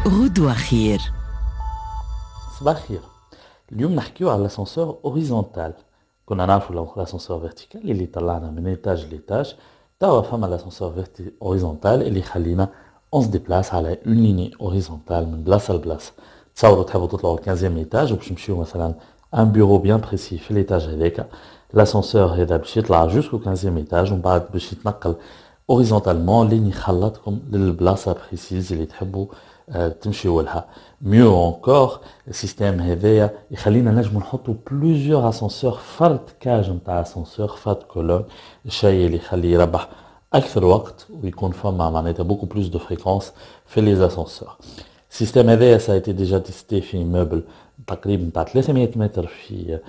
غدوة خير. صباح الخير. اليوم نحكيو على l'ascenseur horizontal. كنا نعرفوا l'ascenseur vertical اللي طلعنا من étage ل étage. توا فما l'ascenseur horizontal اللي يخلينا on se déplace على une ligne horizontale من بلاصة لبلاصه. تصوروا تحبوا تطلعوا 15 étage وباش تمشيو مثلا un bureau bien précis في l'étage هذاك، l'ascenseur هذا باش يطلع jusqu'au 15 étage ومن بعد باش يتنقل horizontalement لين يخلطكم للبلاصه précise اللي تحبوا تمشيو لها. mieux encore، ال système هذايا يخلينا نجمو نحطو plusieurs ascenseurs فرد cage نتاع اسانسور، فرد colonne، الشيء اللي يخليه يربح اكثر وقت ويكون فما معناتها beaucoup plus de fréquences في les ascenseurs. ال système هذايا ça a été déjà testé في immeuble تقريبا تاع 300 متر في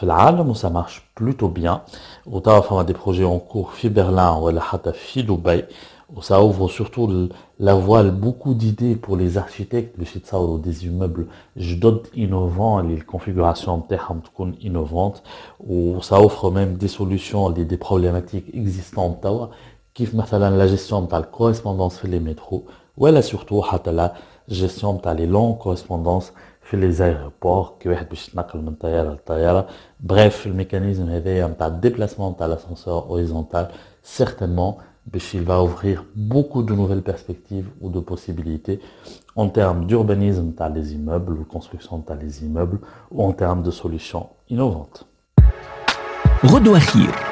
العالم و ça marche plutôt bien. وتوا فما des projets en cours في برلين ولا حتى في دبي، و ça ouvre surtout la voie à beaucoup d'idées pour les architectes باش يتصوروا des immeubles جدد innovants اللي ال configuration نتاعهم تكون innovante، و ça offre même des solutions ل des problématiques existantes توا، كيف مثلا la gestion تاع ال correspondance في les métros، ولا surtout حتى la gestion تاع les longues correspondances في les aéroports كي واحد باش يتنقل من طيارة لطياره. bref، ال mécanisme هذايا نتاع ال déplacement تاع l'ascenseur horizontal certainement باش il va ouvrir beaucoup de nouvelles perspectives ou de possibilités en termes d'urbanisme تاع les immeubles ou construction تاع les immeubles ou en termes de solutions innovantes. غدوة خير.